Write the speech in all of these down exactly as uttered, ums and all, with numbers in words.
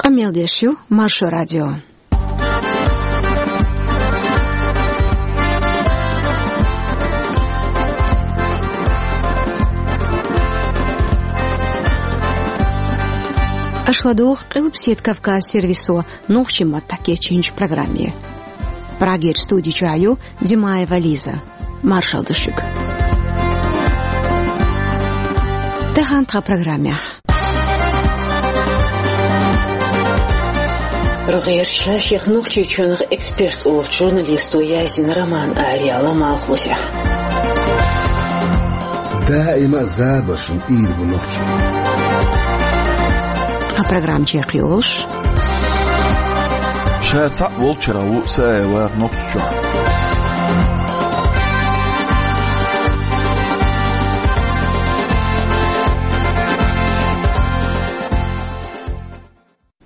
Къамел деш ю Маршо радио. Аша ладугӀу Къилбаседа Кавказ сервисо нохчийн маттахь кечйинчу программе. Прагерчу студи чохь ю Димаева Лиза. Маршалла ду шуьга. Тахана тхан программехь. Рогерча шех Нохчийчоьнах эксперт олучу журналисто яздина роман араяьлла Малхбузехь. Даима а забаршна тӀера бу нохчий. А программа чекхйолуш. Ша цхьаъ волчуьра ву Саева Нохчийчохь.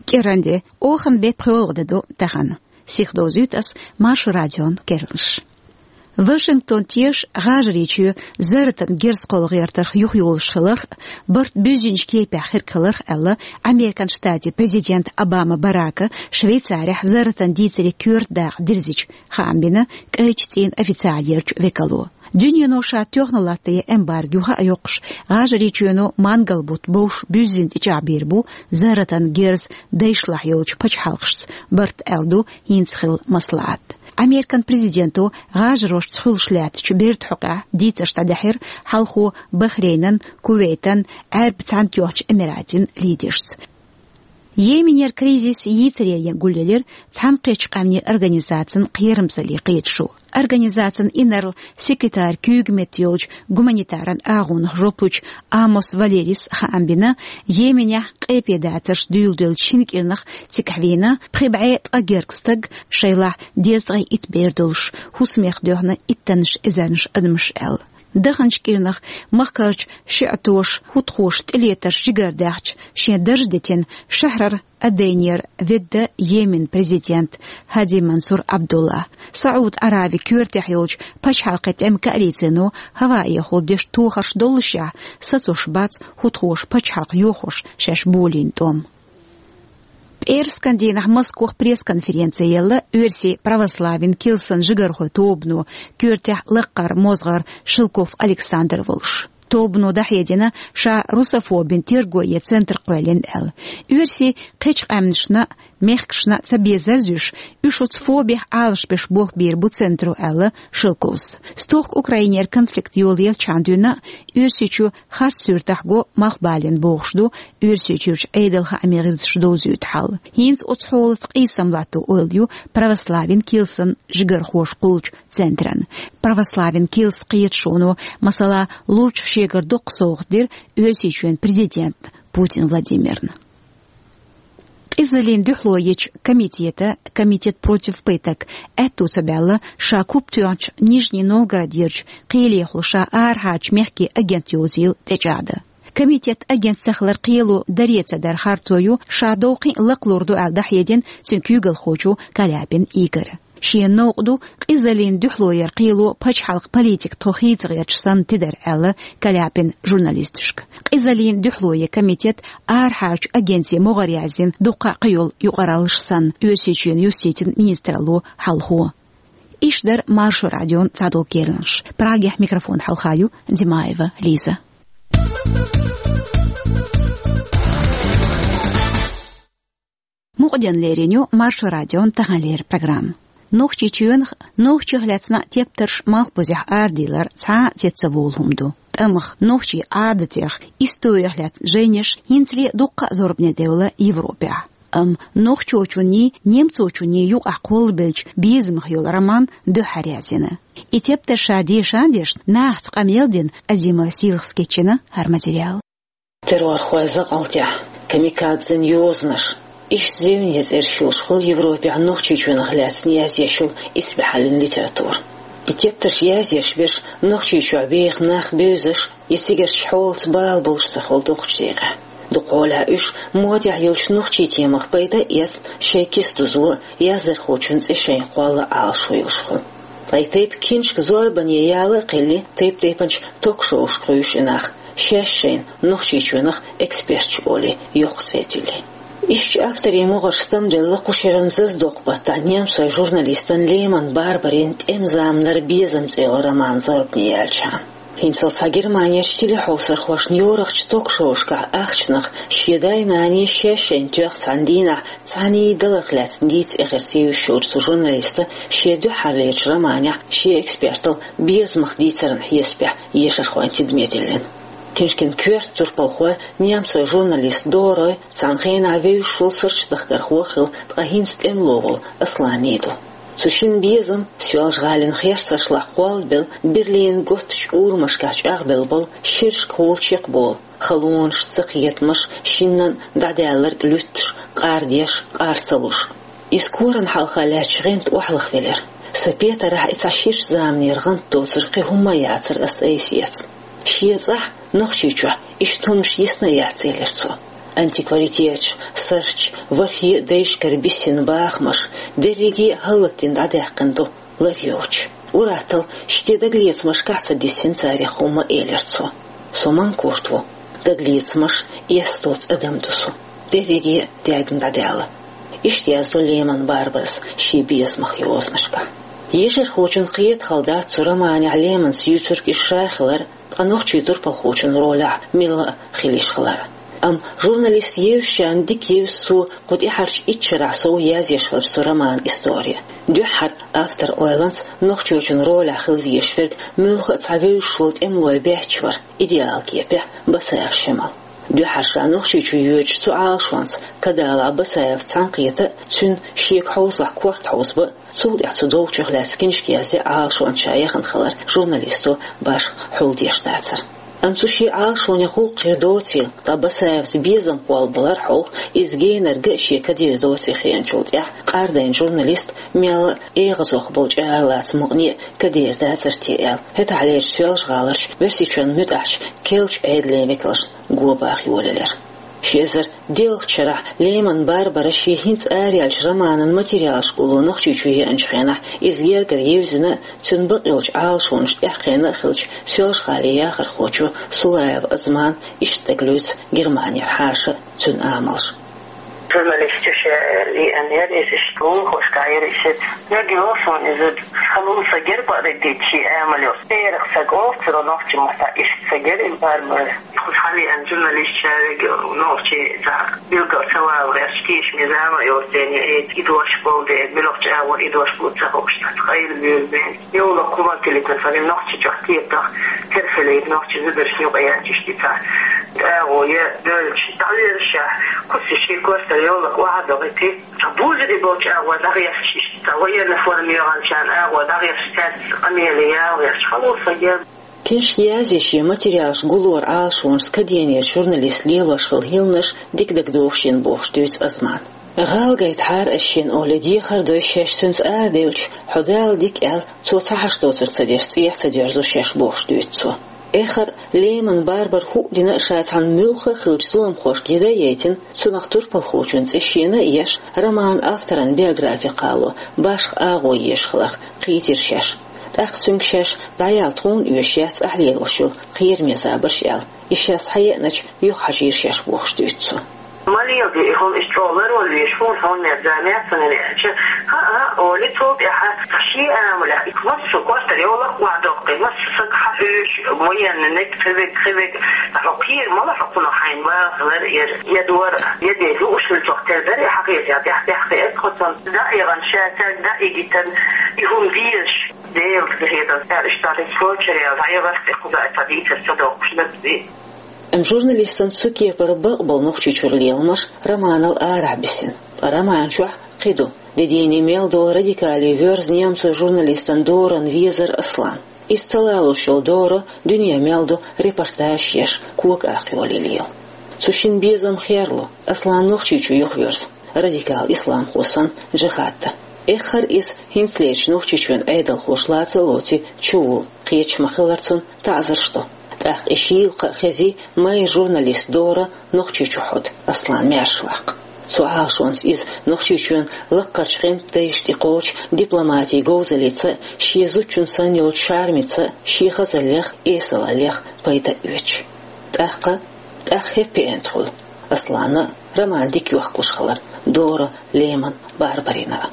КӀиранде, оханан беттан пхоьалгӀа де ду тахана. Сихдовзуьйту ас Маршо радион керланаш. Вашингтон теша ГӀажарийчоь зарратан герз кхолла гӀертарх юхайолуш хиларх а, барт буьззинчу кепехь хирг хиларх а аьлла, Американ Штатийн президента Обама Барака Швейцарехь зарратан дийцаре коьрта дакъа дирзича, хаам бина кӀайчу цӀийнан официалерчу векало. Дуьнено ша тоьхна латтаян эмбарго юха а йоккхуш, ГӀажарийчоьно мангал-бутт бовш буьззина тӀечӀагӀбийр бу зарратан герз дайшлахь йолчу пачхьалкхашца барт аьлла ду хӀинца хилла маслаӀат. Американ президенто ГӀажарошца хуьлуш лаьттачу берда хьокъехь дийцарш дӀадаьхьира хьалхо Бахрейнан, Кувейтан, Ӏаьрбийн Цхьаьнатоьхначу Эмиратийн лидершца. Йеменера кризис йийцаре гулъелира Цхьаьнакхеттачу Къаьмнийн Организацин кхерамзаллин кхеташо. Организацин инарла-секретаран куьйга метта йолчу гуманитаран агӀонах жоп лучу Амос Валерис хаам бина, Йеменехь къепедацарш дуьйладелча шина кӀирнах цигахь вийна пхи бӀе ткъа гергга стаг, шайлахь дезткъе итт бер долуш, хӀусамех доьхна иттаннаш эзарнаш адамаш аьлла. Даханчу кӀирнах махкарчу шиӀатоша, хӀутхоша тӀелетарш жигардаьхча, шен дарж дитина шахьрара Аденера ведда Йеменан президент Хьади Мансур Абдулла. СаӀуд-Ӏараби коьртехь йолчу пачхьалкхийн тӀеман коалицино ХӀаваэхула деш тохарш доллушехь, сацош бац хӀутхоша пачхьалкх йохош шаьш болийна тӀом. ПӀераскан дийнахь Москвахь пресс-конференци елла Оьрсийн православин килсан жигархойн тобано, коьртехь лаккхара мозгӀар Шелков Александр волуш. Тобано дӀахьедина, ша русофобин терго е центр кхоьллина аьлла. Оьрсийн кхечу къаьмнашна а, мехкашна а ца безарзуьйш, уьш оцу фобех Ӏалашбеш болх бийр бу центро аьлла Шелковс. Стохка Украинера конфликт йолаеллачхьана дуьйна а Оьрсийчоь харц суьртахь го Малхбалина бохуш ду Оьрсийчуьрчу Ӏедалан хаамийн гӀирсаша довзуьйту хьал. ХӀинца оцу хьолаца къийсам латто ойла ю православин килсан жигархоша кхуллучу центран. Православин килсан кхеташоно, масала, лурчех шегара доккха совгӀат дира Оьрсийчоьнан президентна Путин Владимирна. Къизаллин дуьхьало ечу комитета, Комитет против пыток, аьтто ца баьлла ша куп тоьхначу Нижний Новгородерчу кхелехула ша арахьарчу мехкийн агент йовзийла тӀечӀагӀдан. Комитетан агент ца хилар кхело даре ца дар харцо ю ша довкхий а лакхалур ду аьлла дӀахьедина цуьнан куьйгалхочо Каляпин Игора. Шена новкъа ду къизаллин дуьхьало яр кхело пачхьалкхан политика тхо хийца гӀерташ санна тидар аьлла Каляпина журналисташка. Къизаллин дуьхьало яр комитет арахьарчу агентийн могӀаре яздина дуккха а кхийолу юкъараллаш санна, Оьрсийчоьнан юстицин министралло хьалхо. Иштта дара Маршо радион цхьадолу керланаш. Прагехь микрофон хьалха ю Димаева Лиза. Мукъаденна лерина ю Маршо радион таханлера программа. Нохчийчоьнах, нохчех лаьцна тептарш Малхбузехь арадийлар цхьа а цецволу хӀума ду. ТӀамах нохчийн Ӏадатех, историх лаьцна жайнаш хӀинцале дуккха а зорбане девлла Европехь. Амма нохчочунний, немцочунний юкъахь кхоллабеллачу безамах йолу роман дуьххьара язйина. И тептар ша дешан-дешна, нахаца къамел дина, Азимова Сийлахас кечйина хӀара материал. Террорхойн закъалтехь, камикадзийн йозанаш. Иштта зевне цӀераш йолуш хуьлу Европехь Нохчийчоьнах лаьцна язъеш йолу исбаьхьаллин литература. И тептарш язъеш берш Нохчийчохь беха нах бевзаш я цигарчу хьолаца бала болуш ца хуьлу дукхачу декъехь. Дукха хьолахь уьш модехь йолчу нохчийн темах пайда а эцна, шайн киса дузо, яздархочун цӀе шайна кхолла Ӏалашо йолуш хуьлу. Ткъа и тайпа киншка зорбане яла а кхелли, тайп-тайпанчу ток-шоушка кхуьйсуш и нах, шаьш шайна Нохчийчоьнах эксперташ олий, йоккха цӀе а туьллий. Иштта авторийн могӀарш стамделла кху шеран зазадоккху баттахь немцойн журналистан Леман Барбарин «ТӀеман заманара безам» цӀе йолу роман зорбане яьлчахьана. ХӀинццалц цхьа Германерчу телехьовсархошна йорахчу ток-шоушкахь ахчанах шен дай-наний шаьш-шайна тоьхна цхьана дийнахь цхьаьний даларх лаьцна дийца эхарца йовзуш йолчу цу журналиста шен дуьххьарлерчу романехь шен экспертал безамах дийцаран хьесапехь ешархойн тидаме диллина. Книжкин коьрта турпалхой немцойн журналист Дорой, цхьана хенахь вевзаш волу сурташ дахкархо а хилла, ткъа хӀинца тӀемало волу Асланий ду. Цу шина безам Соьлжа-ГӀалин херцаршлахь кхоллабелла, Берлинан готтачу урамашкахь чӀагӀбелла болу шерашкахула чекхболу, халонаш, цакхетамаш, шиннан дӀадаьлларг луьттуш, къардеш, къар ца луш. Иза коран хьалха лаьттачу гӀанта охьалахвелира. Сан петарахь и цхьа ширачу заманера гӀант доцург кхин хӀумма а яцара ас айса эцна. Шен цӀахь, Нохчийчохь, иштта хӀуманаш йисна а яц, элира цо. Антикваритеташ, сурташ, ворхӀе а дайшкара биссина бахамаш, дерриге а хӀаллакдина дӀадаьккхина ду, лар йоцуш. Ур-атталла, шен дагалецамашкахь а ца диссина царах хӀумма, элира цо. Со манкурт ву, дагалецамаш, эс доцу адам ду со. Дерриге а даьгна дӀадаьлла. Иштта яздо Леман Барбарас шен безамах йозанашкахь. Ешархочунна кхета хала дац цу романехь Леманс юьйцург иза ша хилар, ткъа нохчийн турпалхочун ролехь милла а хила йиш хилар. Амма журналист евзачарна дика евза цо кху тӀаьхьарчу итт шарахь сов язъеш хиллачу цу романан истори. Дуьххьара, автор ойланца, Нохчийчун ролехь хила везаш верг муьлхха а цхьа вевзаш волу тӀемалой баьчча вара, идеал кепехь, Басаев Шемал. Дуьххьара ша Нохчийчу йоьдучу цу Ӏалашонца Кадалахь Басаевс цхьаьнакхета а, цуьнан шега хьовзалахь корта хьовзаба а, цул тӀаьхьа цу долчух лаьцна книжка язъян Ӏалашонца ша яхана хилар журналисто башха хьулдеш дацара. Амма цу шен Ӏалашонан гӀуллакх хир доцийла, ткъа Басаевс безам кхоллабалар хьалха, иза генарг а шен кадийр доций хиъначул тӀаьхьа, къардайна журналист мел а эгӀазох болчу аралаца мукъане а кадийр дацара те аьлла, хӀетахьлерчу Соьлжа-ГӀаларчу Оьрсийчоьнан муьтӀахьчу керлачу Ӏедалан векалшна го баха йолаелира. Ши эзар диъалгӀачу шарахь Леман Барбара шен хӀинца араяьллачу романан материалаш гулло Нохчийчу еанчу хенахь, иза гергара евзина а, цуьнан бакъйолчу Ӏалашонаш тӀаьхьакхиъна а хиллачу Соьлжа-ГӀалин яхархочо Сулаев Азмана иштта дагалуьйцу Германера хьаша а, цуьнан амалш. Журналисташа лиъна яра иза, иштта лулахошкахь яра иза. Мегаш йолу суна иза, хала сан герга а дитчи амал йолу. Церах сан офицеро нохчийн маттахь иштта сан герга Барбара. Кху хьалиан журналист шаьриг нохчий цхьа билггал ца валарш, тешаме зама а йоцу дела, и дош болу дела, муьлхачу агӀор и дош бу ца хууш, цхьа къайла буьйлу бен. Йовлакх хӀумма тилитан ца вина, Нохчийчохь кепах, терхале нохчийн зударшна юкъа яьлча иштта цхьа агӀо я доьлча, дӀавоьрзуш, кхуза шен кортара йовлакх охьадогӀийти, цхьа бузури болчу агӀор дӀагӀерташ иштта, цхьа военный форма йоьгӀначарна агӀор дӀагӀерташ, цаьрца къамеле ялхьеш, хала сан герга. Книжка язъеш я материалаш гулоран Ӏалашонаш каденерчу журналиста лелош хилла хӀилланаш дика дагадогӀуш йина бохуш дуьйцу Азмана. ГӀала гайтахьара ас шена олий, дехар дой шаьш цуьнца арадевлча, хьо Дала дика аьлла, цо цхьа хьашт доцург ца деш, цӀехьа ца доьрзу шаьш бохуш дуьйцу цо. Эххар а Леман Барбара хӀуъа дина а ша цхьана муьлхха а хиллачу зуламхошка яда а яйтина, цунах турпалхочун цӀе шена а еш, романан авторан биографи кхало башха агӀо езаш хиларх кхийтира шаьш. ТӀаккха цуьнга шаьш дӀаяла тхуна оьшуш яц ахь лелош йолу кхераме забарш аьлла. И шаьш схьаеаначу юха хьажийра шаьш бохуш дуьйцу цо. Ма леладе и хӀума, иза чӀогӀа ларвала везаш, хӀунда хьуна мер зама яц сан аьлча, хӀаъ, хӀаъ, олий цул тӀаьхьа, шен амалехь, и массо кортара йовлакх охьадоккхий, массо саг хьахьуьйш, военный, нек, кхевиг, кхевиг, хьо кхера мала хьо кхунах хьайна ваха хилар яра, я дора, я де лууш хилла цох тера дара, и хьахетар тӀаьхь-тӀаьхьа кхиира тхо цунна, дӀа а яхана, ша цаьрга дӀа а йигийтина, и хӀума дезаш. Делан хетарца, аьлла, иштта тӀе кхочур яьлла, хьан яхарх тӀе кхуза а ца дийцар ца доккхуш наб вий. Амма журналистан цу кепара бакъболу Нохчийчуьра леламаш романал арахь бисина. Ткъа роман чохь кхин ду. Де дийне мел долу радикале воьрзу немцойн журналистан Доран везар Аслан. Иза талалуш йолу Доро дуьне мел ду репортажаш еш, кога акха йолий лела. Цу шина безам херло, Аслан Нохчийчу юхавоьрзу. Радикал исламхо санна, джихад дан. Эххар а иза хӀинцалерчу Нохчийчоьнан Ӏедалхоша лаца а лоций чувуллу, кхеташ ма-хиллара цунна таӀзарш до. ТӀаккха и шийла кхаъ хезий майра журналист Дора Нохчийчу хьоду, Аслан маьрша ваккха. Цу Ӏалашонца иза Нохчийчоьнан лаккхарчу гӀанта дайшна тӀекхочу дипломатин говзаллица а, шен зудчун санна йолчу чармица а, шен хазаллех а, эсалаллех а пайда а оьцуш. ТӀаккха, тӀаккха хеппи энтхула. Аслана роман дика йохкалуш хилар Дора, Леман, Барбарина.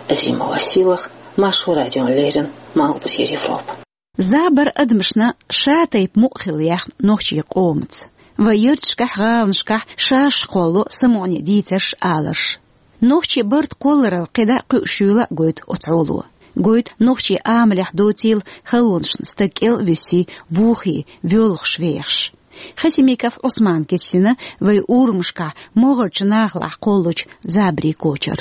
Азимова Силах, Маршо радион леррина, Малхбузера Европа. Забар адамашна шатайпа мукъа хила яхна нохчийн къомаца. Вай ярташкахь, гӀаланашкахь шаьш кхоллало самукъане дийцарш, аларш. Нохчийн барт кхолларал кхидӀа а, кхуьуш юйла а гойту оцу хьоло. Гойту нохчийн амалехь доцийла халонашна стаг кӀел а вуьссий, вухий, воьлхуш вехаш. Хасимиков Ӏусмана кечдина вай урамашкахь могӀарчу нахалахь кхоллучу забарийн кочар.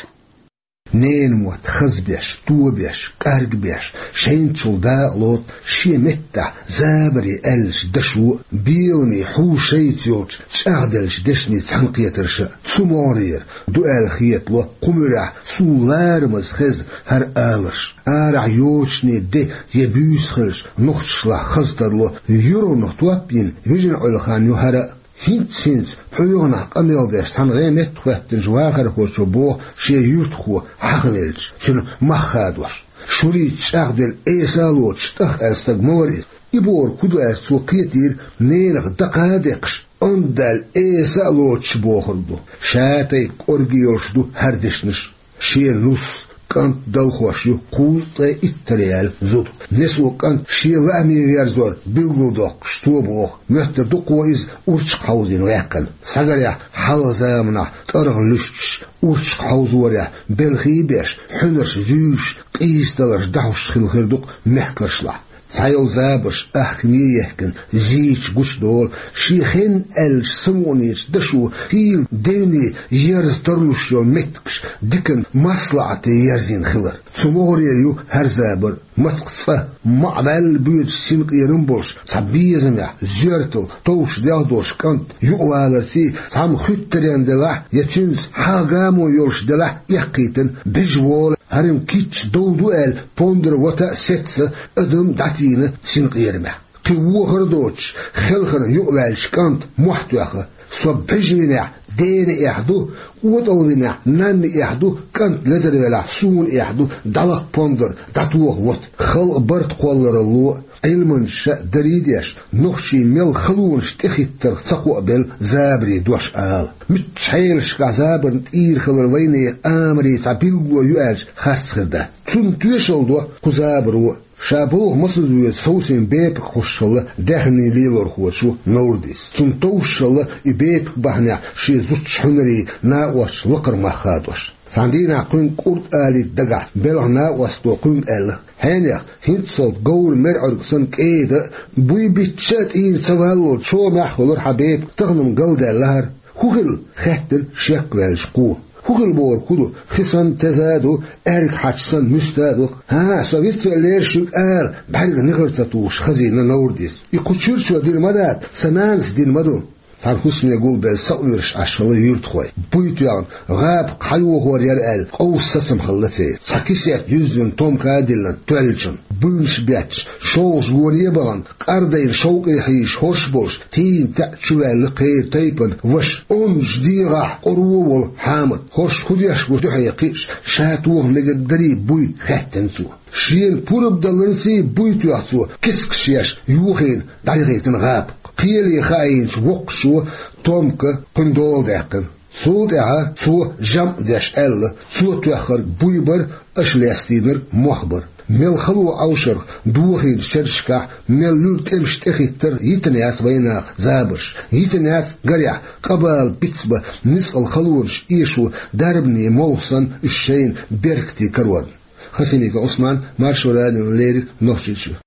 Ненан мотт хазбеш, тобеш, къаргбеш, шайначул дакъа лоцу, шен меттехь забаре аьллачу дашо а, беламе хьу шайца йолчу чӀагӀделлачу дешнийн цхьаьнакхетарша а. Цу могӀарера ду аьлла хетало кху муьрехь суна ларамаза хеза хӀара аларш. Арахь йочане де я буьйса хилча, нохчашлахь хаза тарло, юргӀанах топ а йина, вижина Ӏуьллу хан ю хӀара а. ХӀинца-хӀинца пхьоьгӀанахь къамел деш цхьана гӀеметтахӀоьттинчу вахархочо боху шен юьртахо хьахавелча, цуьнан мах хадош. Шурийца чӀагӀделла эса а лоцуш, тӀах аьлла стаг ма вара иза. И бохург хӀун ду аьлча, цо кхетийра, ненах дакха а декхаш, онда даьлла эса а лоцуш бохург ду. Шатайпа кӀорге йолуш ду хӀара дешнаш. Шен нус, кӀант далхош ю кхузткъе иттаннера яьлла зуда. Несо кӀант шен лааме верзор билгалдоккхуш, цо боху, моьттур ду-кх иза урчакх хьовзийна ваьккхина. Схьагарехь, хьалха заманахь тӀаргӀан луьстуш, урчакх хьовзорехь белхий а беш, хьуьнарш зуьйш, къийсадаларш дӀахьуш хилла хир ду-кх мехкаршлахь. Цхьайолу забарш ахкаме а ехкина, зийча гучудолу, шен хенна аьллачу самукъанечу дашо хийла девне ерза тарлуш йолу меттигаш диканна маслаӀате ерзийна хилар. Цу могӀаре ю хӀара забар. Мацкъ цкъа, маӀа ваьлла боьдуш синкъерам болуш, цхьа безамехь, зоьртал товш-делхадош кӀант юкъаваларций, цхьамма хуьттаренна делахь я цуьнца хьагӀ-гамо йолуш делахь, эккхийтина бежа волу, хӀара-м кийча дов ду аьлла, пондар вата а, сецца а адам дӀатийна синкъерамехь. Кхин вохар а доцуш, хелхарна юкъаваьллачу кӀанта мохь тоьхна: «Со бежа винехь, дена эхь ду, кӀотӀал винехь, нанна эхь ду, кӀант ледар велахь, суна эхь ду, дӀалакха пондар, дӀатоха вата». Халкъан барт кхолларалло а, Ӏилманчаша а дарий а деш, нохчий мел халонаш тӀехӀиттарх ца кхоабелла забарийн дош ала. Муьлххачу хьелашкахь забарна тӀера хилар вайнехан амарийн цхьа билгало ю аьлча, харц хир дац. Цунна тоьшалла до кху забаро а. Ша болх масаза воьду совсем бепиг хьош хилла даьхнийн лелорхочо Наурдис. Цунна товш хилла и бепиг бахьанехь шен зудчун хьуьнарийн накъосташна лакхара мах хадош. Цхьана дийнахь кхуьнга кӀурд алийта дагахь белхан накъосто кхуьнга аьлла: «Хьенех, хӀинццалц говра мер Ӏуьрг санна кӀеда а, буй биттича а тӀера ца валлал, чомехь а хуьлура хьан бепиг, тахана-м галдаьлла хӀара». «ХӀун хилла?» — хаьттина шекваьллачу кхо. «ХӀун хилла бохург хӀун ду? Хи санна теза а ду, аьрга хьач санна муьста а ду». «ХӀан-хӀа, со вицвеллера шуьга ала», — бӀаьрга нихар ца тухуш хазийна Наурдис. «И кху чуьрачо дина ма дац, сан нанас дина ма ду». Цхьана хӀусаме гулбелла сакъоьруш Ӏаш хилла юьртахой. Буй тоьхна, гӀапа кхайохор яра аьлла, къовса сацам хилла церан. Цхьа кисет юьззина томка а диллина тоьллачун, буьйнаш бетташ, шолгӀачу гоне а бахана, къардайна шовкъе хьийзаш хӀорш болуш, тийна таьӀ чу ваьлла кхеран тайпана ваша, онзаш дегӀахь къоро а волу Хьамат. ХӀорш хӀун деш бу дуьхье кхиъча, ша тоха мегар дарий буй хаьттина цо. Шена пурба даларций буй тоьхна цо, кискаш еш йохийна дӀаяхийтина гӀапа. Кхеле хаийначу воккхачо томка кхуьнан дола даьккхина. Цул тӀаьхьа цо жамӀ деш аьлла, цо тоьхнарг буй бара, аша лестийнарг мох бара. Мел хало Ӏовшарх дохийначу шерашкахь, мел луьра тӀемаш тӀехӀиттар йитина яц вайнах забарш. Йитина яц, гарехь, къабала бицбан ницкъала халонаш эшо дарбане молха санна уьш шайна беркате карорна. Хасимиков Ӏусман, Маршо радиона леррина, Нохчийчоь.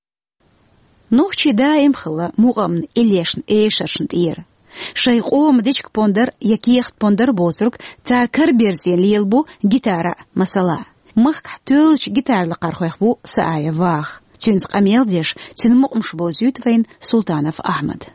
Нохчий даим хилла мукъамна иллешна, эшаршна тӀера. Шайн къоман дечиг-пондар я кехат-пондар боцург цара караберзийна лелабо гитара а, масала. Махкахь тоьллачу гитара лакхархойх ву Сааев Ваха. Цуьнца къамел деш, цуьнан мукъамаш бовзуьйту вайна Султанов Ахьмада.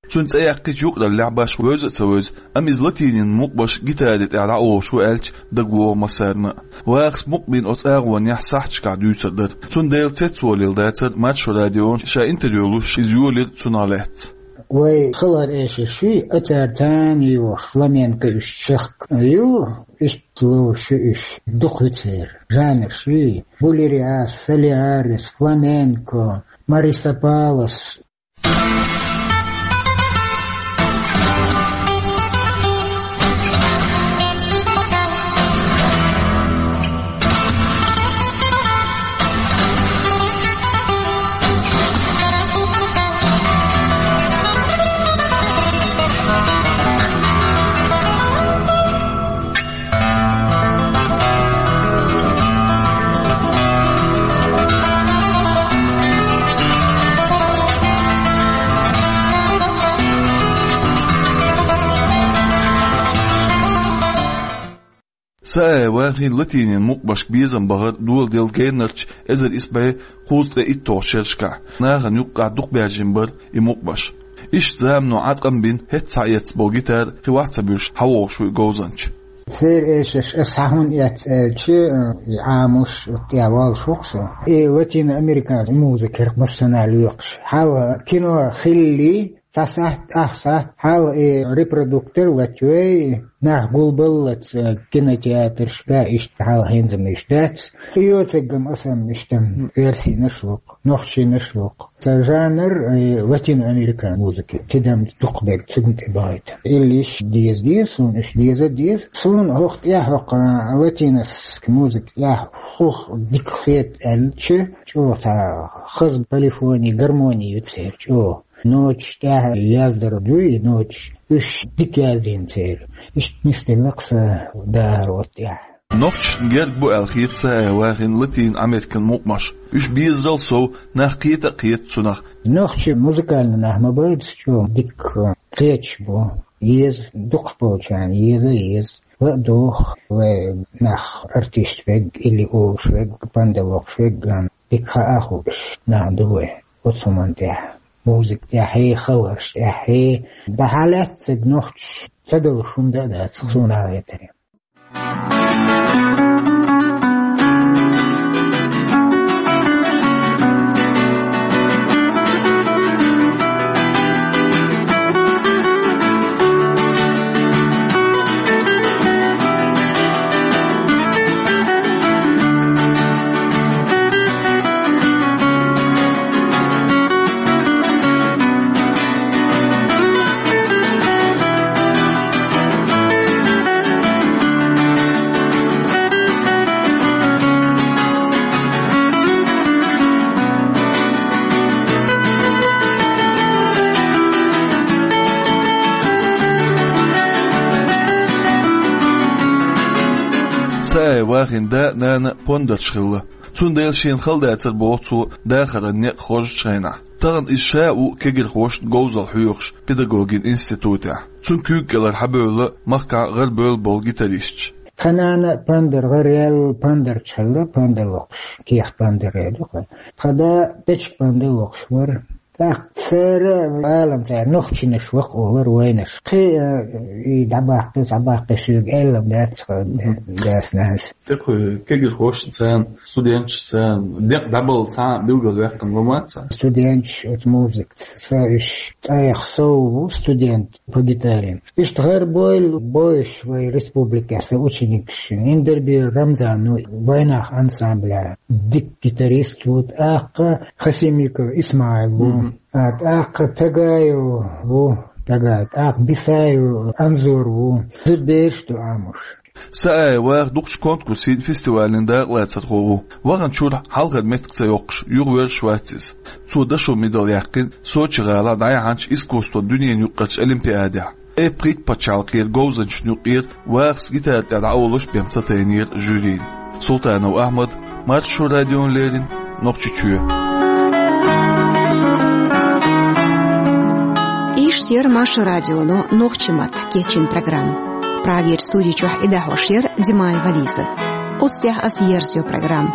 Цуьнан цӀе яьккхича юкъараллехь башха вевза а ца вевза, амма иза латийнийн мукъамаш гитари тӀехь дӀаолуш ву аьлча, дагавогӀу массарна а. Вахас мукъамийн оцу агӀонехь сахьташкахь дуьйцур дара. Цунна Делан цецволийла дацара Маршо радион ша интервью луш иза йолийра цунах лаьцна. Вай халхар эшарш ю, а цара царна йохуш фламенко уьш чехка ю, иштта лоруш ю уьш, дукха ю церан жанраш ю: булериас, солиарис, фламенко, марисапалас. Саая Вахин латинин мукъамашка безам бахар доладелла геннарча эзар исс бӀе кхузткъе итталгӀачу шерашкахь. Нахана юккъехь дукха баьржина бара и мукъамаш. Иштта замано Ӏаткъам бина, хӀетта схьаэцна болу гитара кхин вахь ца буьллуш хьавогӀуш ву и говзанча. Церан эшаш ас хьан хӀунда эцна аьлча, и Ӏамош тӀехь воллуш ву-кх со. И латиноамериканский музыка хӀара массанхьа лоькхуш. Хьалха кино хилли, цхьа сахьт, ах сахьт, хьалха и репродуктор латавой, нах гулбаллалц кинотеатрашка, иштта хьалха хӀинца-м иштта дац. И йоцург-м аса-м иштта версийнаш ву-кх, нохчийнаш ву-кх. Сан жанр, э, латиноамерикан музыка, тидам дукхах берг цуьнга тӀе бахийта. Илла иштта деза, деза суна, иштта деза, деза. Суна хӀокху тӀехь, хӀокху латинский музыка тӀехь хӀух дика хета аьлча, чӀогӀа цхьа хаза полифони, гармони ю церан чӀогӀа. Ноташ тӀехь яздар ю и ноташ, уьш дика язйина церан. Иштта нисделла-кх сан дахар оцу тӀехь. Нохчашна герга бу аьлла хета Саая Вахин латиноамерикан мукъамаш. Уьш безарал сов, нах кхета а кхета цунах. Нохчий музыкальный нах ма бац чӀогӀа дика кхеташ бу. Еза, дукхахболчарна еза, еза. Ла а доху вай нах, артист верг или олуш верг, панда лохуш верг, дика хаа хуурш нах ду вай. Оцу хӀуманна тӀехь, музыка тӀехь, хабарш тӀехь, дӀа хьалаьцнарг нохчаша ца долуш хӀума дан а дац, суна хетарехь. Саая Вахин да а, нана а пондарш хилла. Цундела шена хала дацара, боху цо, дахаран некъ хоржучу хенахь. Тахана иза ша а ву кегирхошна говзалла хьоьхуш педагогин институтехь. Цуьнан куьйга кӀелара хьабевлла махкахь гӀарабевлла болу гитаристаш. Тхан нана а пандар гӀараяьлла, пандарчу хилла, панда лохуш, кехат пандар эр ду-кх. Тхан да печиг панда лохуш вара. ТӀаккха цара, алам цара, нохчийнаш ву-кх олура вайнаш. Кхин, э, и дӀабаккхи, схьабаккхи соьга аьлла дац-кх дас-нанас. ТӀаккха кегирхошна царна, студенташца царна, декъа дӀабала цхьа а билгалваьккхина ма вац цара. Студенташ оцу музыкаца, сан уьш тӀех сов ву студент по гитаре. Иштта гӀарабевлла бу уьш вай республикехь сан ученикаш. Индербиев Рамзан ву, вайнах ансамбля дика гитарист ву, тӀаккха Хасимиков ИсмаӀил ву, а, тӀаккха Тагаев ву, Тагаев, тӀаккха Бисаев Анзор ву. Зуьра бераш ду Ӏамош. Саая Ваха дукхачу конкурсийн, фестивалийн дакъалацархо ву. Ваханчуьра хьалхара меттиг ца йоккхуш, юхаверзаш вац иза. Цо дашо медаль яьккхина Сочи гӀалахь дӀаяьхьначу искусстван дуьненан юккъерчу олимпиадехь. Ткъе пхийтта пачхьалкхера говзанчашна юкъера Вахас гитара тӀехь дӀаолуш бен ца тайнера жюрина. Султанов Ахьмад, Маршо радиона леррина, Нохчийчоь. Иштта яра Маршо радионо нохчийн маттахь кечйина программа. Прагерчу студи чохь и дӀахьош яра Димаева Лиза. Оцу тӀехь аса ерзайо программа.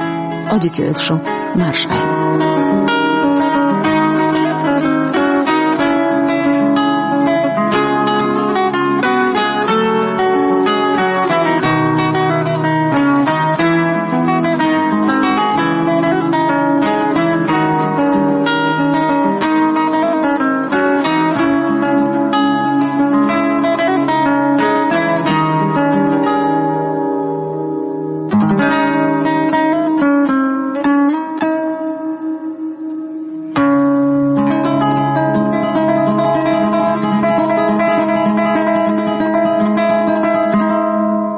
Ӏодика йойла шун, марша Ӏойла.